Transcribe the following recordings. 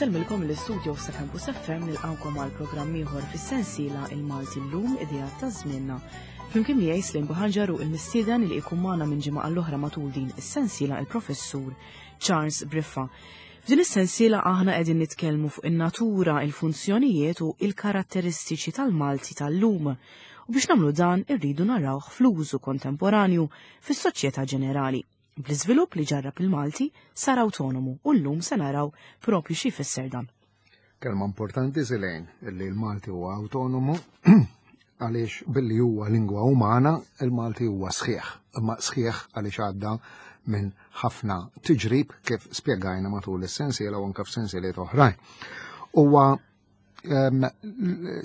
Insellmilkom l-istudio sa' Campus FM nilqawkom għal programm ieħor fis-sensiela Il-Malti llum idea ta' żmienna. Flimkien miegħi Slim Buħanġar u il-mistieden li jkun magħna minn ġimgħa għall-oħra matul din is-sensiela il-Professur Charles Briffa. F'din is-sensiela aħna qegħdin nitkellmu fuq in-natura, il-funzjonijiet u il-karatteristiċi tal-Malti tal-lum. U biex nagħmlu dan irridu narawh fl-użu kontemporanju fis-soċjetà ġenerali. Bl-iżvilupp li ġarrab il-Malti sar awtonomu u llum se naraw propju xi jfisser dan. Kelma importanti Silejn illi l-Malti huwa awtonomu għaliex billi huwa lingwa umana il-Malti huwa sħiħ. Imma sħiħ għaliex għadda minn ħafna tiġrib kif spjegajna matul is-sensiela u anke f'sensieliet oħrajn. Huwa ehm,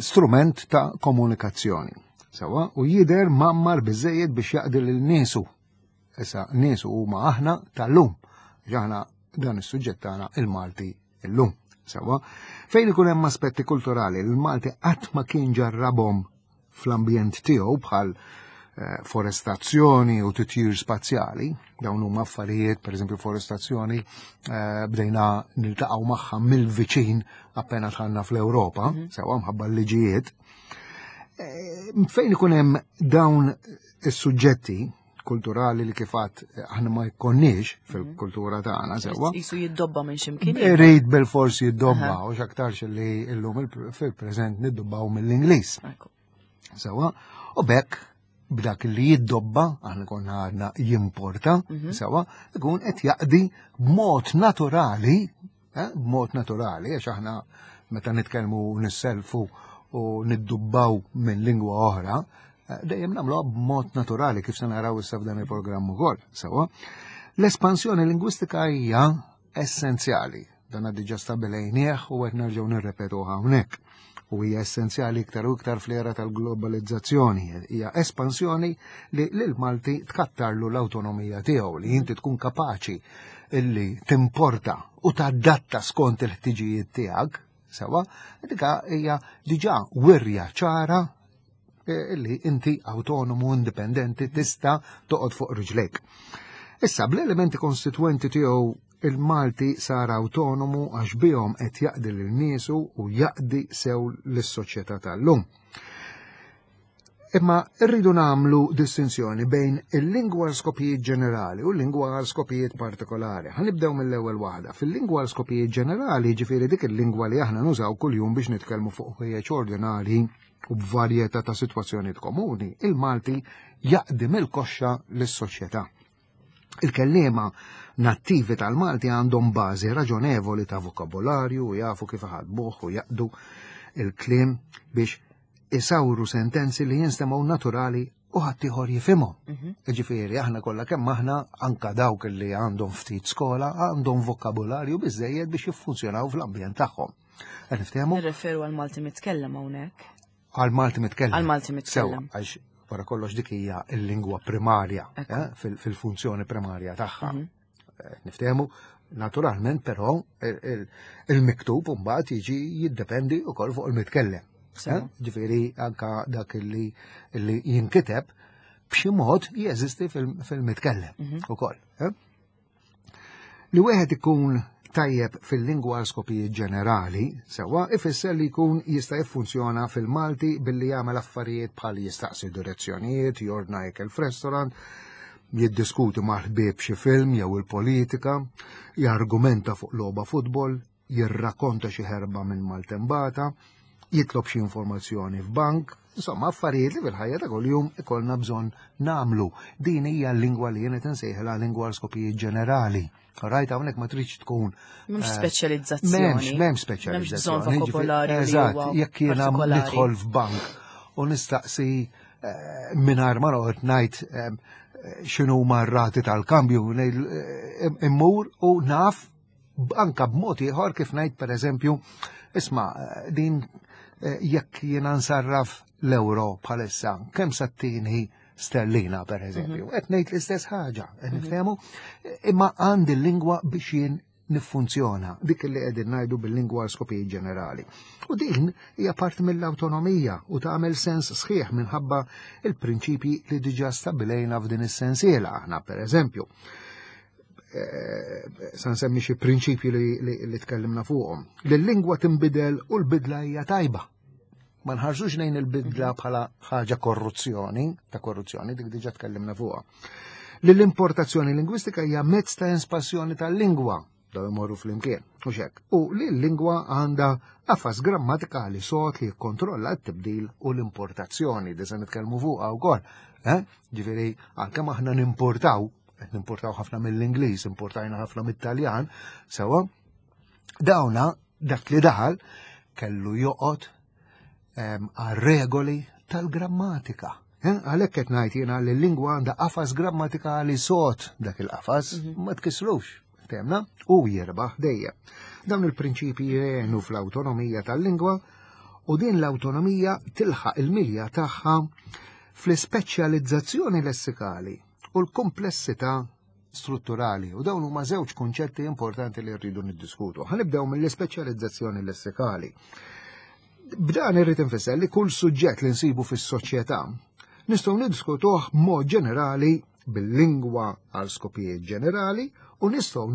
strument ta' komunikazzjoni. Sewa, u jider mammar biżejjed biex jaqdi lil niesu Issa niesu huma aħna tal-lum. Aħna dan is-suġġett tagħna il-Malti illum. Sewa, fejn ikun hemm aspetti kulturali li l-Malti qatt ma kien ġarrabhom fl-ambjent tiegħu bħal eh, forestazzjoni u titjir spazjali, dawn huma affarijiet, pereżempju forestazzjoni, eh, bdejna niltaqgħu magħha mill-viċin appena tħanna fl-Ewropa, mhm. sewa mħabba l-liġijiet. Eh, fejn ikun hemm dawn is-suġġetti kulturali li kifat eh, aħna ma jkonniex fil-kultura tagħna sewwa. Jisu jiddobba minn x'imkien. Irid bil-fors jiddobba u x'aktarx li llum fil-preżent niddobbaw mill-Ingliż. Sewwa, u bekk b'dak li jiddobba, aħna konna għadna jimporta, mhm. sewwa, ikun qed jaqdi b'mod naturali Eh, b'mod naturali, għax aħna meta nitkellmu nisselfu u niddubbaw minn lingwa oħra, eh, dejjem nagħmluha b'mod naturali kif se naraw issa f'dan il-programm ukoll. Sewwa. L-espansjoni lingwistika hija essenzjali. Dan diġà stabilejnieh u qed nerġgħu nirrepetu hawnhekk. U hija essenzjali iktar u iktar fl-era tal-globalizzazzjoni. Hija espansjoni li lil Malti tkattarlu l-awtonomija tiegħu li inti tkun kapaċi illi timporta u tadatta skont il-ħtiġijiet tiegħek, sewa, dika hija diġà wirja ċara eh, illi inti autonomu, indipendenti, tista' toqgħod fuq riġlejk. Issa, bl-elementi konstituenti tiegħu il-Malti sar autonomu għax bihom qed jaqdi lil niesu u jaqdi sew lis-soċjetà tal-lum. Imma rridu nagħmlu distinzjoni bejn il-lingwa għal skopijiet ġenerali u l-lingwa għal skopijiet partikolari. Ħa nibdew mill-ewwel waħda. Fil-lingwa għal skopijiet ġenerali, ġifieri dik il-lingwa li aħna nużaw kuljum biex nitkellmu fuq ħwejjeġ ordinari u b'varjetà ta' sitwazzjonijiet komuni, il-Malti jaqdi mill-koxxa lis-soċjetà. Il-kelliema nattivi tal-Malti għandhom bażi raġonevoli ta' vokabolarju u jafu kif iħadbuh u jaqdu il-kliem biex isawru sentenzi li jinstemgħu naturali u ħaddieħor jifhimhom. Mhm. Ġifieri aħna kollha kemm aħna anka dawk li għandhom ftit skola għandhom vokabolarju biżejjed biex jiffunzjonaw fl-ambjent tagħhom. Qed niftehmu? Nirreferu għal Malti mitkellem hawnhekk. Għal Malti mitkellem. Għal Malti mitkellem. Sew, għax wara kollox dik hija l-lingwa primarja, eh, fil-funzjoni primarja tagħha. Mhm. Eh, niftehmu, naturalment però il-miktub mbagħad jiġi jiddependi wkoll fuq il-mitkellem. Eh, ġifieri anka dak li jinkiteb b'xi mod jeżisti fil-mitkellem mhm. ukoll. Eh? Li wieħed ikun tajjeb fil-lingwa għal skopijiet ġenerali, sewwa, ifisser li jkun jista' jiffunzjona fil-Malti billi jagħmel affarijiet bħal jistaqsi direzzjonijiet, jordna ikel f'restaurant, jiddiskuti mal-ħbieb xi film jew il-politika, jargumenta fuq logħba futbol, jirrakonta xi ħerba minn maltembata, jitlob xi informazzjoni f'bank, insomma affarijiet li fil-ħajja ta' kuljum ikollna bżonn nagħmlu. Din hija l-lingwa li jien qed insejħilha lingwa għal skopijiet ġenerali. Rajt hawnhekk ma tridx tkun. M'hemmx eh, speċjalizzazzjoni. M'hemmx m'hemmx speċjalizzazzjoni. M'hemmx bżonn Eżatt, jekk jiena nidħol f'bank u nistaqsi eh, mingħajr ma noqgħod ngħid eh, x'inhu rati tal-kambju immur u naf anka b'mod ieħor kif ngħid pereżempju, isma' din eh, jekk jiena nsarraf l-euro bħalissa, kemm sattini sterlina pereżempju. Mhm. Qed ngħid l-istess ħaġa, qed mhm. niftehmu, imma għandi l-lingwa biex jien niffunzjona dik li qegħdin ngħidu bil-lingwa għal skopijiet ġenerali. U din hija parti mill-awtonomija u tagħmel sens sħiħ minħabba il-prinċipji li diġà stabilejna f'din is-sensiela aħna pereżempju. eh, sa nsemmi xi prinċipji li, li, li tkellimna fuqhom. Li l-lingwa tinbidel u l-bidla hija tajba. Ma nħarsux lejn il-bidla mhm. bħala ħaġa korruzzjoni, ta' korruzzjoni, dik diġà tkellimna fuqha. Li l-importazzjoni lingwistika hija mezz ta' espansjoni tal-lingwa, daw imorru flimkien, u xek. U li l-lingwa għandha qafas grammatikali sod li jikkontrolla t-tibdil u l-importazzjoni, di se nitkellmu fuqha wkoll. Eh? Ġifieri, għalkemm aħna nimportaw, qed nimportaw ħafna mill-Ingliż, importajna ħafna mit-Taljan, sewa, dawna dak li daħal kellu joqgħod ehm, għar-regoli tal-grammatika. Eh, għalhekk qed ngħid jiena li l-lingwa għandha qafas grammatikali sod dak il-qafas mhm. ma tkissrux, temna, u jirbaħ dejjem. Dawn il-prinċipji jgħinu fl-awtonomija tal-lingwa u din l-awtonomija tilħaq il-milja tagħha fl-ispeċjalizzazzjoni lessikali u l-komplessità strutturali u dawn huma żewġ kunċetti importanti li rridu niddiskutu. Ħanibdew mill-ispeċjalizzazzjoni lessikali. B'dan irrid infisser li kull suġġett li nsibu fis-soċjetà nistgħu niddiskutuh b'mod ġenerali bil-lingwa għal skopijiet ġenerali u nistgħu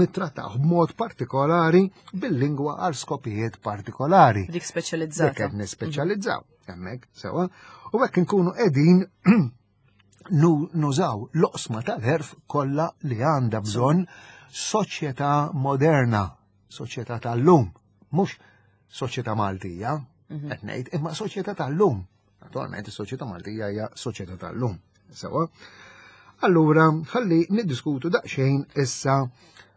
nittrattawh b'mod partikolari bil-lingwa għal skopijiet partikolari. Dik speċjalizzata. Dik qed nispeċjalizzaw hemmhekk sewa. U hekk inkunu qegħdin nużaw l-oqsma tal-ħerf kollha li għandha bżonn soċjetà moderna, soċjetà tal-lum, mhux soċjetà Maltija, mhm. qed ngħid, imma soċjetà tal-lum. Naturalment is-soċjetà Maltija hija soċjetà tal-lum. Sewa. Allura, ħalli niddiskutu daqsxejn issa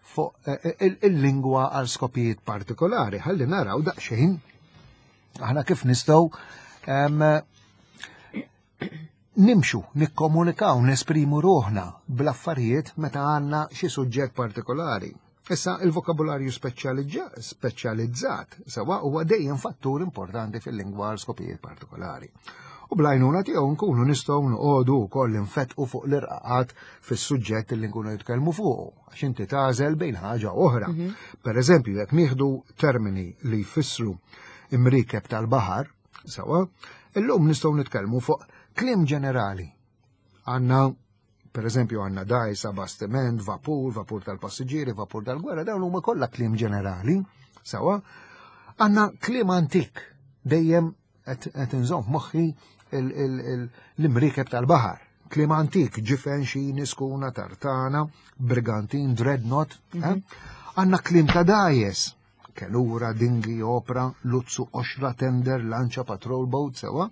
fuq eh, eh, il-lingwa għal skopijiet partikolari, ħalli naraw daqsxejn aħna kif nistgħu nimxu, nikkomunikaw, nesprimu ruħna bl-affarijiet meta għandna xi suġġett partikolari. Issa il-vokabularju speċjalizzat sewa huwa dejjem fattur importanti fil-lingwa għal skopijiet partikolari. U blajnuna tiegħu nkunu nistgħu noqogħdu wkoll infetqu fuq l-irqaqat fis-suġġett li nkunu nitkellmu fuqu, għax inti tagħżel bejn ħaġa oħra. Mhm. Per eżempju, jekk nieħdu termini li jfissru imrikeb tal-baħar, Sawa, illum nistgħu nitkellmu fuq kliem ġenerali. Għandna per eżempju għandna dajsa, bastiment, vapur, vapur tal-passiġġieri, vapur tal-gwerra, dawn huma kollha kliem ġenerali. Sawa, għandna kliem antik dejjem qed inżomm moħħi l-imriekeb tal-baħar. Kliem antik, ġifen, xini, skuna, tartana, brigantin, dreadnought. Eh? Mhm. Għandna kliem ta' dajes, Kenura, dingi, opra, luzzu, oxra, tender, lanċa, patrol boat, sewa.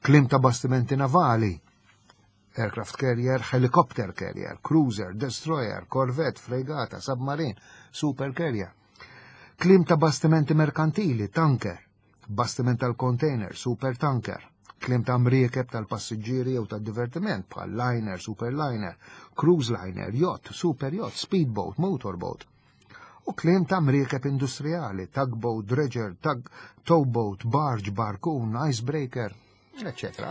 Klim ta' bastimenti navali, aircraft carrier, helicopter carrier, cruiser, destroyer, corvette, fregata, submarine, super carrier. Klim ta' bastimenti merkantili, tanker, bastiment tal-container, super tanker, klim ta' mriekeb tal-passiġġieri jew tad-divertiment bħal liner, superliner, cruise liner, yacht, super yacht, speedboat, motorboat. U kliem ta' mriekeb industrijali, tugboat, dredger, tug, towboat, barge, barkun, icebreaker, eccetera.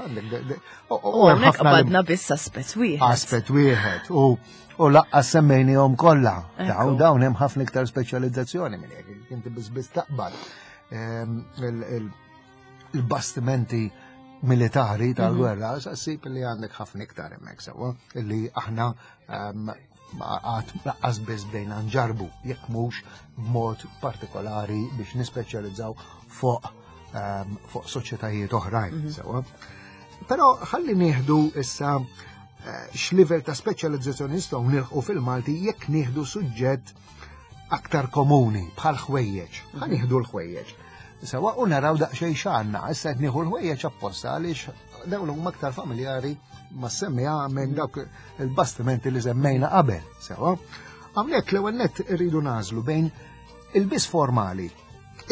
U hawnhekk qabadna biss aspett wieħed. Aspett wieħed. U u laqqa semmejnihom kollha. Dawn dawn hemm ħafna iktar speċjalizzazzjoni minn hekk. Inti biss biss taqbad ehm, il-bastimenti militari tal-gwerra, mhm. ssib li għandek ħafna iktar hemmhekk sewwa illi aħna ehm, għad laqqas biss bdejna nġarbu jekk mhux b'mod partikolari biex nispeċjalizzaw fuq ehm, fuq soċjetajiet oħrajn. Mhm. Sewa. Però ħalli nieħdu issa eh, x'livell ta' speċjalizzazzjoni nistgħu nilħqu fil-Malti jekk nieħdu suġġett aktar komuni bħal ħwejjeġ. Ħa mhm. nieħdu l-ħwejjeġ. Sewa u naraw daqsxejn x'għandna, issa qed nieħu l-ħwejjeġ apposta għaliex dawn huma aktar familjari ma semmija minn dawk il-bastimenti li semmejna qabel, sewa. Hawnhekk l-ewwel nett irridu nażlu bejn il-biss formali,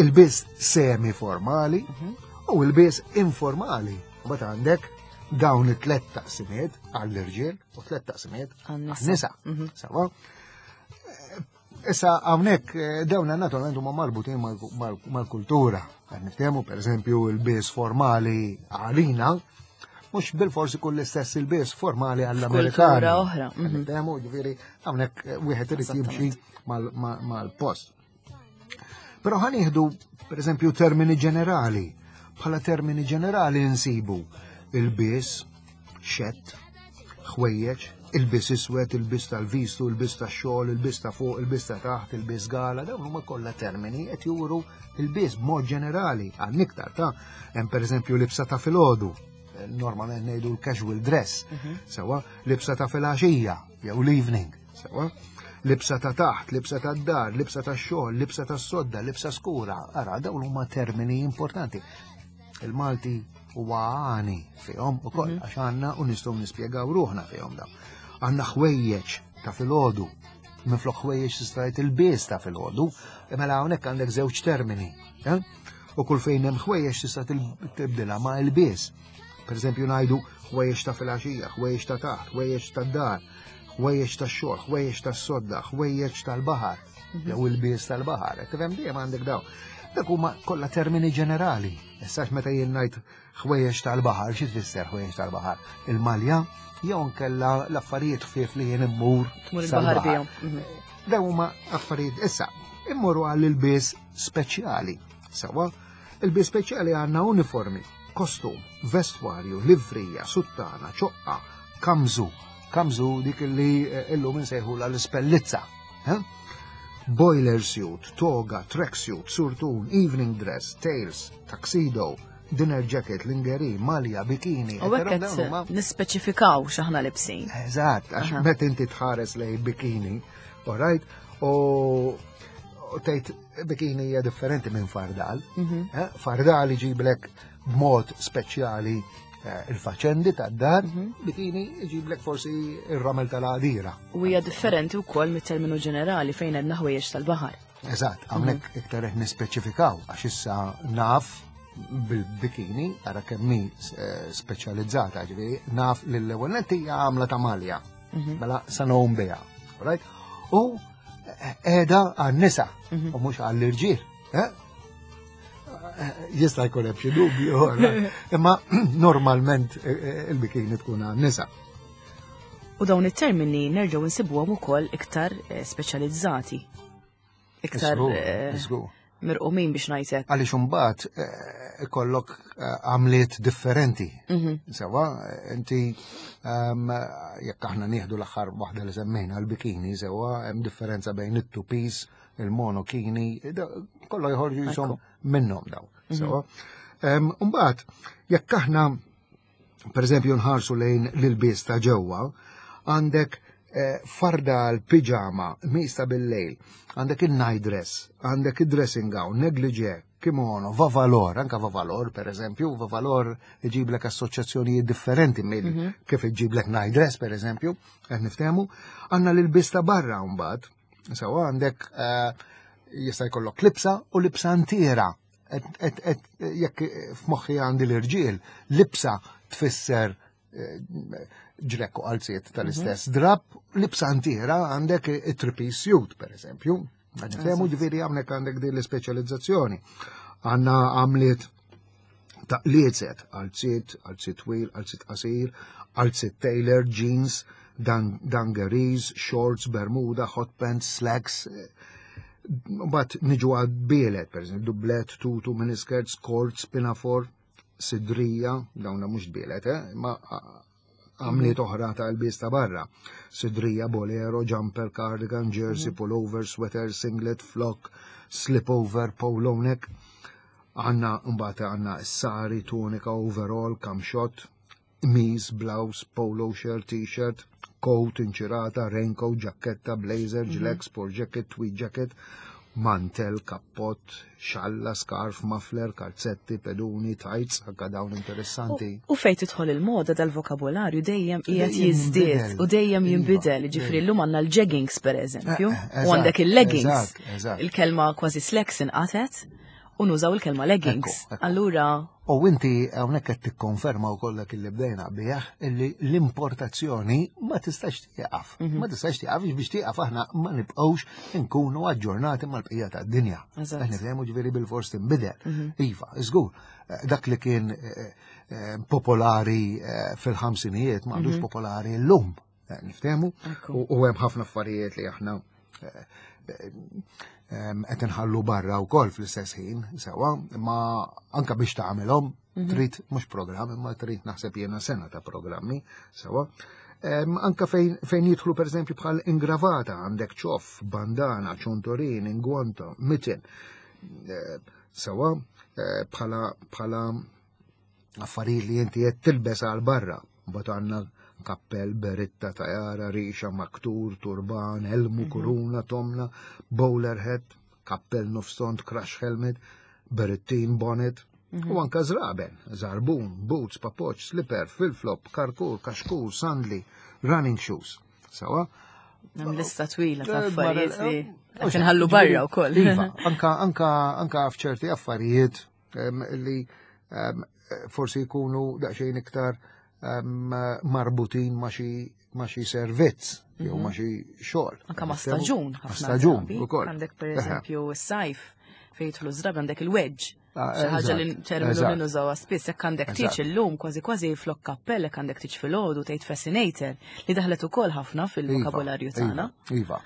il-biss semi formali mhm. u il-biss informali. Mbagħad għandek dawn it-tlet taqsimiet għall-irġiel u tlet taqsimiet għan-nisa. Mhm. Sewa. Issa hawnhekk eh, dawn naturalment huma marbutin mal-kultura. Qed niftehmu pereżempju l-bies formali għalina, mhux bil-forsi kull l-istess il-bies formali għall-Amerikani. oħra. Mhm. Niftehmu ġifieri hawnhekk eh, wieħed irid jimxi mal-post. Però ħa nieħdu pereżempju termini ġenerali. Bħala termini ġenerali nsibu il-bies, xett, ħwejjeġ, Il-bis iswed, il-bis tal-vistu, il-bis tax-xogħol, il-bis ta' fuq, il-bis ta' taħt, il-bis gala, dawn huma kollha termini qed juru il-bis b'mod ġenerali għal iktar ta' hemm pereżempju libsa ta' filgħodu, normalment ngħidu l-casual dress, sewa, libsa ta' filgħaxija jew l-evening, sewa, libsa ta' taħt, libsa ta' dar, libsa ta' xogħol, libsa ta' sodda, libsa skura, ara dawn huma termini importanti. Il-Malti huwa għani fihom ukoll għax għandna u nistgħu nispjegaw ruħna fihom dawn. Għandna ħwejjeġ ta' filgħodu, minflok ħwejjeġ tista' tgħid il-bies ta' filgħodu, mela hawnhekk għandek żewġ termini. Eh? U kull fejn hemm ħwejjeġ tista' tibdilha ma' il-bies. Per eżempju ngħidu ħwejjeġ ta' filgħaxija, ħwejjeġ ta' taħt, ħwejjeġ ta' dar, ħwejjeġ ta' xogħol, ħwejjeġ ta' sodda, ħwejjeġ tal-baħar, jew il-bies tal-baħar. Tifhem dejjem għandek dawn. Dak huma kollha termini ġenerali. Issa meta jien ngħid ħwejjeġ tal-baħar, xi tfisser ħwejjeġ tal-baħar? Il-malja jew nkella l-affarijiet ħfief li jien immur. Tmur il-baħar bihom. Dawn huma affarijiet issa immorru għall ilbies speċjali. Sawa, ilbies speċjali għandna uniformi, kostum, vestwarju, livrija, suttana, ċoqqa, kamżu, kamżu dik li eh, illum insejħula l-ispellizza. Eh? Boiler suit, toga, tracksuit, surtun, evening dress, tails, tuxedo, dinner jacket, lingerie, malja, bikini. U hekk qed nispeċifikaw x'aħna libsin. Eżatt, għax meta inti tħares lej bikini, all right, u tgħid bikini hija differenti minn fardal. Eh, Fardal iġiblek b'mod speċjali eh, il-faċendi tad-dar, bikini iġiblek forsi ir-ramel tal-għadira. U hija differenti wkoll mit-terminu ġenerali fejn għedna ħwejjeġ tal-baħar. Eżatt, hawnhekk iktar qed nispeċifikaw għax issa naf bil-bikini, ara kemm hi eh, speċjalizzata, ġifieri naf li l-ewwel nett hija għamla ta' malja. Mela sa ngħum biha. Right? U qiegħda għan-nisa u mhux għall-irġiel. Eh? Jista' jkun hemm xi dubju, imma normalment eh, eh, il-bikini tkun għan-nisa. U dawn it-termini nerġgħu nsibuhom ukoll iktar eh, speċjalizzati. Iktar Żgur, eh, żgur. mirqumin biex ngħidlek. Għaliex imbagħad eh, ikollok eh, għamliet differenti. Sewa, inti ehm, jekk aħna nieħdu l-aħħar waħda li semmejna l-bikini, sewa hemm differenza bejn it-two piece, il-monokini, kollha joħorġu jisom minnhom daw. Sewa. Ehm, Imbagħad jekk aħna per eżempju nħarsu lejn l-ilbies ta' ġewwa, għandek eh, fardal, piġama, mista bil-lejl, għandek il-night dress, għandek il-dressing gown, negligee, kimono, vavalor, anka vavalor per eżempju, vavalor iġiblek assoċjazzjonijiet differenti mill kif iġiblek night dress per eżempju, qed niftehmu, għandna l-ilbies ta' barra mbagħad, sewa għandek eh, jista' jkollok libsa u libsa ntiera. Et, et, et, jekk f'moħħi għandi l-irġiel, libsa tfisser eh, ġlekk u qalziet tal-istess drab, libsa ntiera għandek it-three-piece suit, per eżempju. Nifhemu ġifieri hawnhekk għandek din l-ispeċjalizzazzjoni. Għandna għamliet ta' liezet, qalziet, qalziet twil, qalziet qasir, qalziet tailor, jeans, dan, dungarees, shorts, bermuda, hot pants, slacks. Bat niġu għal bielet, per eżempju, dublet, tutu, miniskirts, korts, pinafore, sidrija, dawna mhux bielet, eh? ma għamliet oħra ta' lbies ta' barra. Sidrija, bolero, jumper, cardigan, jersey, pullover, sweater, singlet, flock, slipover, polo neck. Għanna mbagħad għanna sari, tunika, overall, kamxot, qmis, blouse, polo shirt, t-shirt, coat, inċirata, raincoat, ġaketta, blazer, ġlek, sport jacket, tweed jacket, mantel, kappot, xalla, scarf, muffler, kalzetti, peduni, tights, anka dawn interessanti. U fejn tidħol il-moda dal-vokabolarju dejjem qiegħed Dejjem jiżdied jinbidel. u dejjem Iva, jinbidel. Ġifieri dejjem. llum għandna l-jeggings pereżempju, Eh, eh, u għandek eżatt, il-leggings. eżatt, eżatt. Il-kelma kważi slacks inqatet u nużaw il-kelma leggings. Ekku, ekku. Allura U inti hawnhekk qed tikkonferma wkoll dak li bdejna bih illi l-importazzjoni ma tistax tieqaf. Ma tistax tieqaf biex tieqaf aħna ma nibqgħux nkunu aġġornati mal-bqija tad-dinja. Eżatt. Qed nifhemu ġifieri bil-fors tinbidel. Iva, żgur, eh, dak li kien eh, eh, popolari eh, fil-ħamsinijiet ma għadux popolari llum. Eh, Niftehmu? Ekku. U u hemm ħafna affarijiet li aħna eh, eh, em, qed inħallu barra wkoll fl-istess ħin, sewa, imma anka biex tagħmelhom trid mhux programm, imma trid naħseb jiena sena ta' programmi, sewa. Anka fejn, fejn jidħlu per eżempju bħal ingravata, għandek ċoff, bandana, ċontorin, ingwanta, mitten. Eh, Sewa, eh, bħala bħala affarijiet li inti qed tilbes għal barra. Mbagħad għandna kappell, beritta, tajara, rixa, maktur, turban, elmu, mhm. kuruna, tomna, bowler hat, kappell nofsont, crash helmet, berettin, bonnet, mhm. u anka zraben, zarbun, boots, papoċ, slipper, flip-flop, karkur, kaxkur, sandli, running shoes. Sawa? Hemm lista twila ta' eh, affarijiet li eh, qed inħallu barra wkoll. Iva, anka anka anka f'ċerti affarijiet li forsi jkunu daqsxejn iktar marbutin ma' xi ma' xi servizz jew ma' mhm. xi xogħol. Anka ma' staġun. Ma' staġun ukoll. Għandek pereżempju s-sajf fejn jidħlu żrab għandek il-wedge. Ah, xi ħaġa li terminu li nużawha spiss jekk għandek tiċ illum kważi kważi flok kappell jekk għandek tiċ filgħodu tgħid fascinator li daħlet ukoll ħafna fil-vokabularju iva, tagħna. Iva.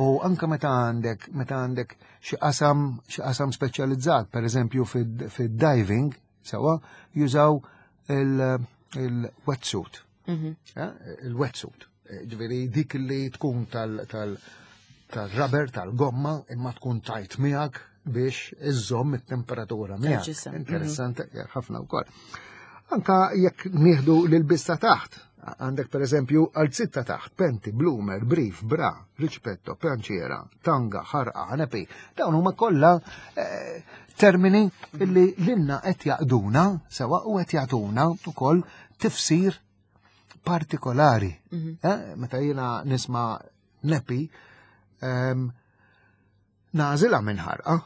U anka meta għandek meta għandek xi qasam xi qasam speċjalizzat, pereżempju fid-diving, sewa, jużaw il-wetsuit. Mhm. Eh, il-wetsuit. Eh, ġifieri dik li tkun tal-rubber, tal-gomma, imma tkun tajt miegħek biex iżżomm it-temperatura miegħek. Mhm. Interessanti ħafna wkoll. Anka jekk nieħdu l-bista taħt, għandek per eżempju għal ta' taħt, penti, bloomer, brief, bra, riċpetto, pjanċiera, tanga, ħarqa, ħanepi, dawn huma kollha eh, termini illi lilna qed jaqduna sewa u qed jagħtuna wkoll tifsir partikolari. Mhm. Eh, meta jiena nisma' nepi, ehm, nażilha minn ħarqa.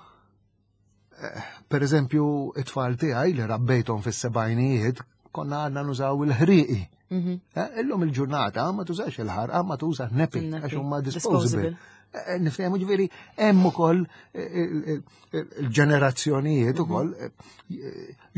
Eh, per eżempju, it-tfal tiegħi li rabbejthom fis-sebgħinijiet konna għadna nużaw il-ħriqi. Mhm. Eh, illum il-ġurnata ma tużax il-ħarqa, ma tuża nepi, għax huma disposable. Eh, Niftehmu ġifieri hemm ukoll il-ġenerazzjonijiet mhm. ukoll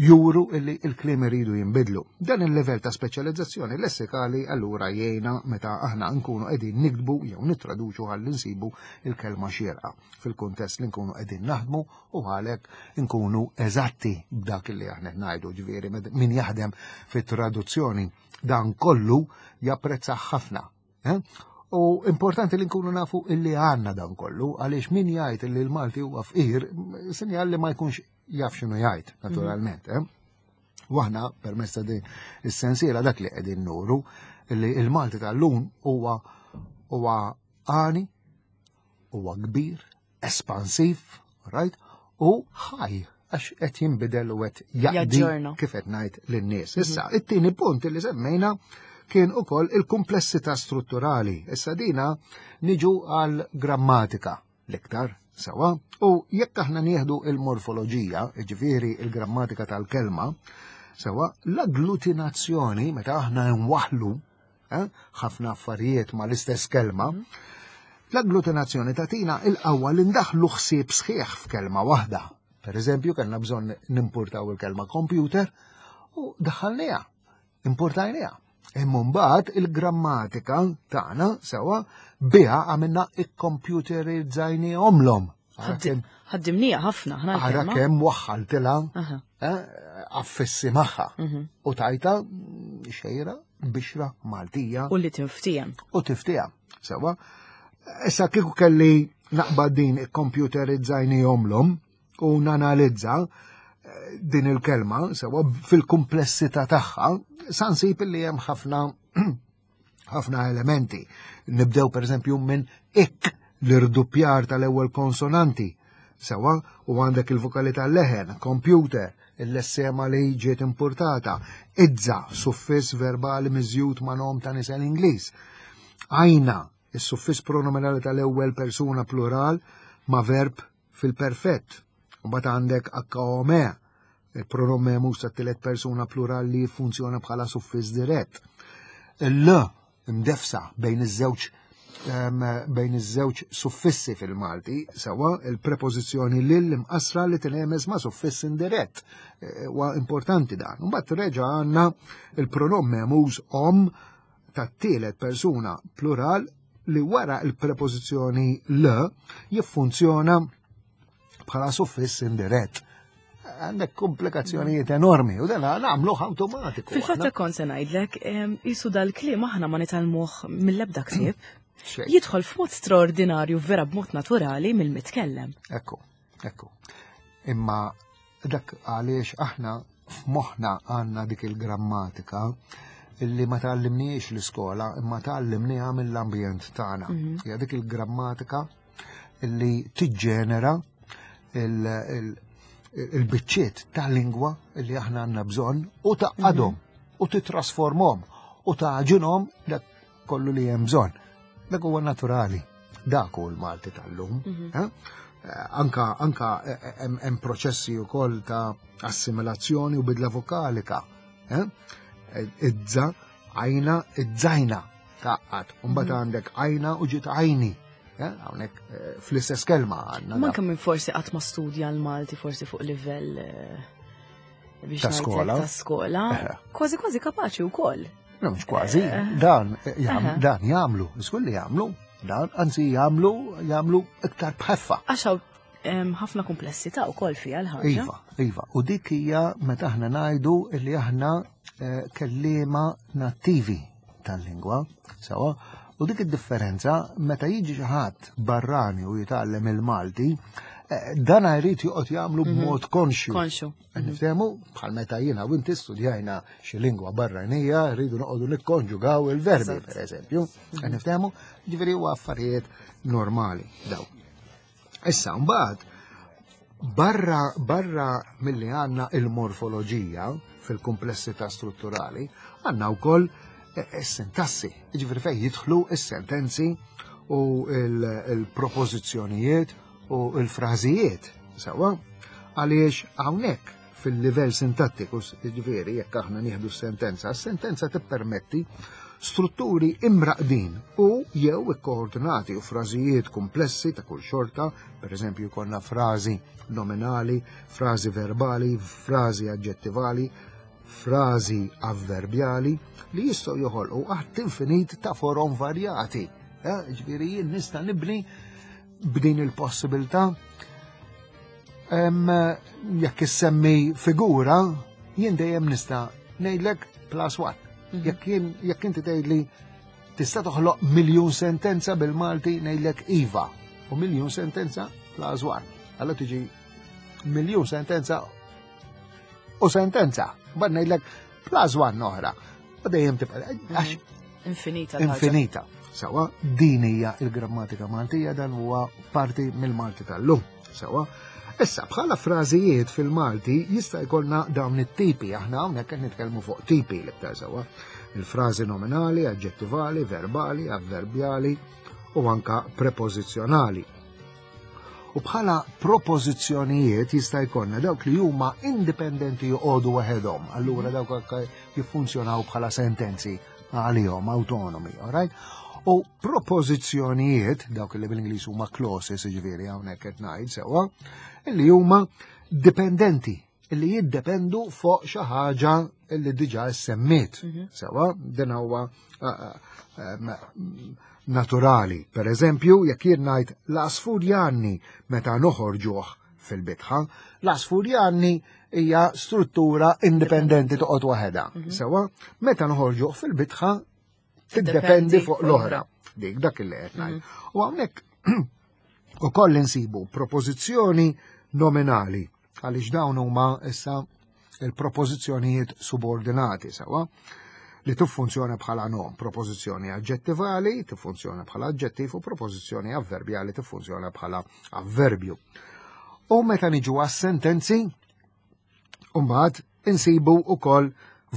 juru illi il-kliem iridu jinbidlu. Dan il-level ta' speċjalizzazzjoni lessikali allura jgħinna meta aħna nkunu qegħdin niktbu jew nittraduċu ħalli nsibu il-kelma xierqa fil-kuntest li nkunu qegħdin naħdmu u għalhekk nkunu eżatti b'dak li aħna ngħidu ġifieri min jaħdem fit-traduzzjoni dan kollu japprezza ħafna. Eh? U importanti li nkunu nafu illi għanna dan kollu, għaliex min jgħid illi l-Malti huwa fqir, sinjal li ma jkunx jaf x'inhu jgħid, naturalment. Eh? U aħna permezz ta' din is-sensiela dak li qegħdin nuru li l-Malti tal-lum huwa huwa għani, huwa kbir, espansiv, right? U ħaj għax qed jinbidel u qed jaqdi kif qed ngħid lin-nies. Mhm. Issa, it-tieni punt li semmejna kien ukoll il-kumplessità strutturali. Issa dina niġu għal grammatika l-iktar sewa u jekk aħna nieħdu il-morfoloġija, ġifieri il-grammatika tal-kelma, sewa l-agglutinazzjoni meta aħna nwaħlu eh, ħafna affarijiet ma l-istess kelma, mhm. l-agglutinazzjoni tatina il-qawwa li ndaħlu ħsieb sħiħ f'kelma waħda. Per eżempju, kellna bżonn nimpurtaw il-kelma computer u daħħalniha, importajniha. Imma mbagħad il-grammatika tagħna sewa biha għamilna ikkompjuterizzajniehomlhom. Ħaddimnija ħafna ħna. Ara kemm waħħaltilha eh, affissi magħha mhm. u tajta xejra bixra Maltija. U li tiftijem. U tiftijem. Sewa. Issa kieku kelli naqbad din ikkompjuterizzajniehomlhom u nanalizza eh, din il-kelma sewa fil-kumplessità tagħha, sa nsib li hemm ħafna ħafna elementi. Nibdew pereżempju minn ik l-irduppjar tal-ewwel konsonanti. Sewa, u għandek il-vokali tal-leħen, computer, il-lessema li ġiet importata, idza, suffiss verbali miżjud ma' nom ta' nisel Ingliż. Għajna, is-suffiss pronominali tal-ewwel persuna plural ma' verb fil-perfett. Mbagħad għandek HOME, il-pronom memus tat-tielet persuna plural li jiffunzjona bħala suffiss dirett. Il-l imdefsa bejn iż-żewġ bejn iż-żewġ suffissi fil-Malti, sewa il-prepożizzjoni lil imqasra li tinhemeż ma' suffiss indirett. E, huwa importanti dan. Mbagħad reġa' għandna il-pronom memuż om tat-tielet persuna plural li wara il-prepożizzjoni l jiffunzjona bħala suffiss indirett. Għandek komplikazzjonijiet enormi u dan nagħmluh awtomatiku. Fil-fatt kont se ngħidlek, jisu dal-kliem aħna ma nitgħallmuh mill-ebda ktieb. Jidħol f'mod straordinarju vera b'mod naturali mill-mitkellem. Ekku, ekku. Imma dak għaliex aħna f'moħħna għandna dik il-grammatika illi ma tgħallimniex l-iskola imma tgħallimnieha mill-ambjent tagħna. Hija dik il-grammatika illi tiġġenera il-biċċiet ta' lingwa illi aħna għandna bżonn u taqadhom u titrasformhom u taġinhom dak kollu li hemm bżonn. Dak huwa naturali. Dak hu l-Malti tal-lum. Eh? Anka anka hemm proċessi wkoll ta' assimilazzjoni u bidla vokalika. Eh? Idza, għajna, idzajna taqqat. Mbagħad għandek għajna u ġiet għajni. Eh? Hawnhekk fl-istess kelma għandna. Manka minn forsi qatt ma studja l-Malti forsi fuq livell biex Ta' skola. Ta' skola. Kważi kważi kapaċi wkoll. No, mhux kważi, dan dan jagħmlu, żgur li jagħmlu, dan anzi jagħmlu jagħmlu iktar bħeffa. Għax hawn ħafna komplessità wkoll fiha l-ħaġa. Iva, iva, u dik hija meta aħna ngħidu li aħna kelliema nattivi tal-lingwa, sewa, u dik id-differenza meta jiġi xi ħadd barrani u jitgħallem il-Malti, dan jrid joqgħod jagħmlu b'mod konxju. Konxju. Niftehmu, bħal meta jiena u inti studjajna xi lingwa barranija, rridu noqogħdu nikkonġugaw il-verbi, per eżempju. Niftehmu, ġifieri huwa affarijiet normali daw. Issa mbagħad barra barra milli għandna il-morfoloġija fil-kumplessità strutturali, għandna wkoll is-sintassi, ġifieri fejn jidħlu is-sentenzi u il-propożizzjonijiet u l-frażijiet, sewwa, għaliex hawnhekk fil-livell sintattiku, ġifieri jekk aħna nieħdu s-sentenza, s-sentenza tippermetti strutturi imraqdin u jew ikkoordinati u frażijiet komplessi ta' kull xorta, per eżempju jkollna frażi nominali, frażi verbali, frażi aġġettivali, frażi avverbjali li jistgħu joħolqu għadd infinit ta' forom varjati. Ġifieri jien nista' nibni b'din il-possibilità. Jekk issemmi figura, jien dejjem nista' ngħidlek plus one. Jekk jien jekk inti tgħidli tista' toħloq miljun sentenza bil-Malti ngħidlek iva u miljun sentenza plus one. Allora tiġi miljun sentenza u sentenza. Bad ngħidlek plus one oħra. U dejjem tibqa' għax Infinita l-ħaġa. Infinita. Sewa, din hija il-grammatika Maltija, dan huwa parti mill-Malti tal-lum. Sewa. Issa, bħala frażijiet fil-Malti jista' jkollna dawn it-tipi, aħna hawnhekk qed nitkellmu fuq tipi l-iktar sewa. Il-frażi nominali, aġġettivali, verbali, avverbjali u anka prepożizzjonali. U bħala propożizzjonijiet jista' jkollna dawk li huma indipendenti joqogħdu waħedhom, allura dawk anke jiffunzjonaw bħala sentenzi għalihom autonomi, all right? U propożizzjonijiet, dawk li bil-Ingliż huma clauses, jiġifieri hawnhekk qed ngħid sewwa, li huma dipendenti, li jiddependu fuq xi ħaġa li diġà ssemmiet. Sewwa, din huwa naturali. Per eżempju, jekk jien ngħid l-għasfur jgħanni meta noħorġuh fil-bitħa, l-għasfur jgħanni hija struttura indipendenti toqgħod waħedha. Sewwa, meta noħorġuh fil-bitħa tiddependi fuq l-oħra. Dik dak li qed ngħid. U hawnhekk ukoll insibu propożizzjoni nominali għaliex dawn huma issa il-propożizzjonijiet subordinati sewwa li tiffunzjona bħala nom, propożizzjoni aġġettivali tiffunzjona bħala aġġettiv u propożizzjoni avverbjali tiffunzjona bħala avverbju. U meta niġu għas-sentenzi, mbagħad insibu wkoll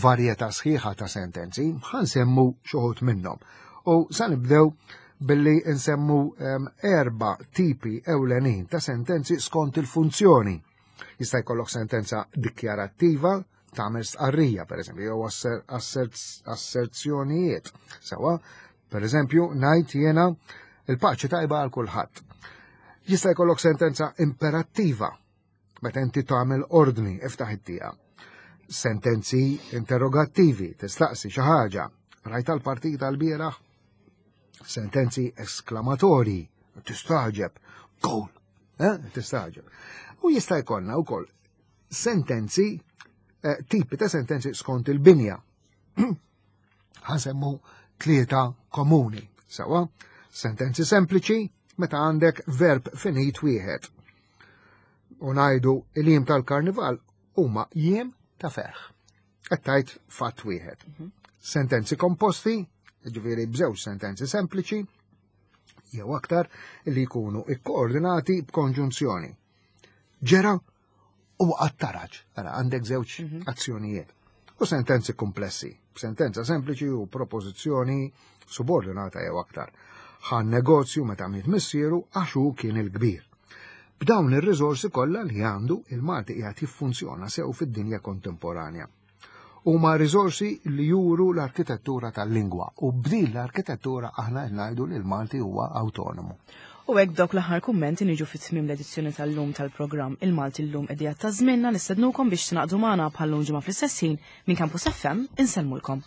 varjetà sħiħa ta' sentenzi, ħa nsemmu xi wħud minnhom. U sa nibdew billi nsemmu erba' tipi ewlenin ta' sentenzi skont il-funzjoni. Jista' jkollok sentenza dikjarattiva, tagħmel stqarrija, per eżempju, jew asserzjonijiet. Sewwa, per eżempju, ngħid jiena il-paċi tajba għal kulħadd. Jista' jkollok sentenza imperattiva, meta inti tagħmel ordni, iftaħ it-tieqa. Sentenzi interrogattivi, tistaqsi xi ħaġa, rajt tal-partita l-bieraħ? Sentenzi esklamatorji, tistaġeb, goal, tistaġeb. U jista' jkollna wkoll sentenzi, eh, tipi ta' sentenzi skont il-binja. Ħansemmu tlieta komuni. Sawa, sentenzi sempliċi meta għandek verb finit wieħed. U ngħidu il-jiem tal-karnival huma jiem ta' ferħ. Qed tgħid fatt wieħed. Mhm. Sentenzi komposti, ġifieri b'żewġ sentenzi sempliċi, jew aktar li jkunu ikkoordinati b'konġunzjoni. Ġera u għat-taraġ, ara għandek żewġ mhm. azzjonijiet. U sentenzi komplessi, sentenza sempliċi u propożizzjoni subordinata jew aktar. Ħan negozju meta miet missieru għax hu kien il-kbir. B'dawn ir-riżorsi kollha li għandu il-Malti qiegħed jiffunzjona sew fid-dinja kontemporanja. Huma riżorsi li juru l-arkitettura tal-lingwa u b'din l-arkitettura aħna ngħidu li l-Malti huwa awtonomu. U hekk b'dawk l-aħħar kummenti niġu fit tmiem l-edizzjoni tal-lum tal-programm Il-Malti llum qegħdija ta' żmienna nistednukom biex tingħaqdu magħna bħal-lum ġimgħa fl-istess ħin minn Campus FM insellmulkom.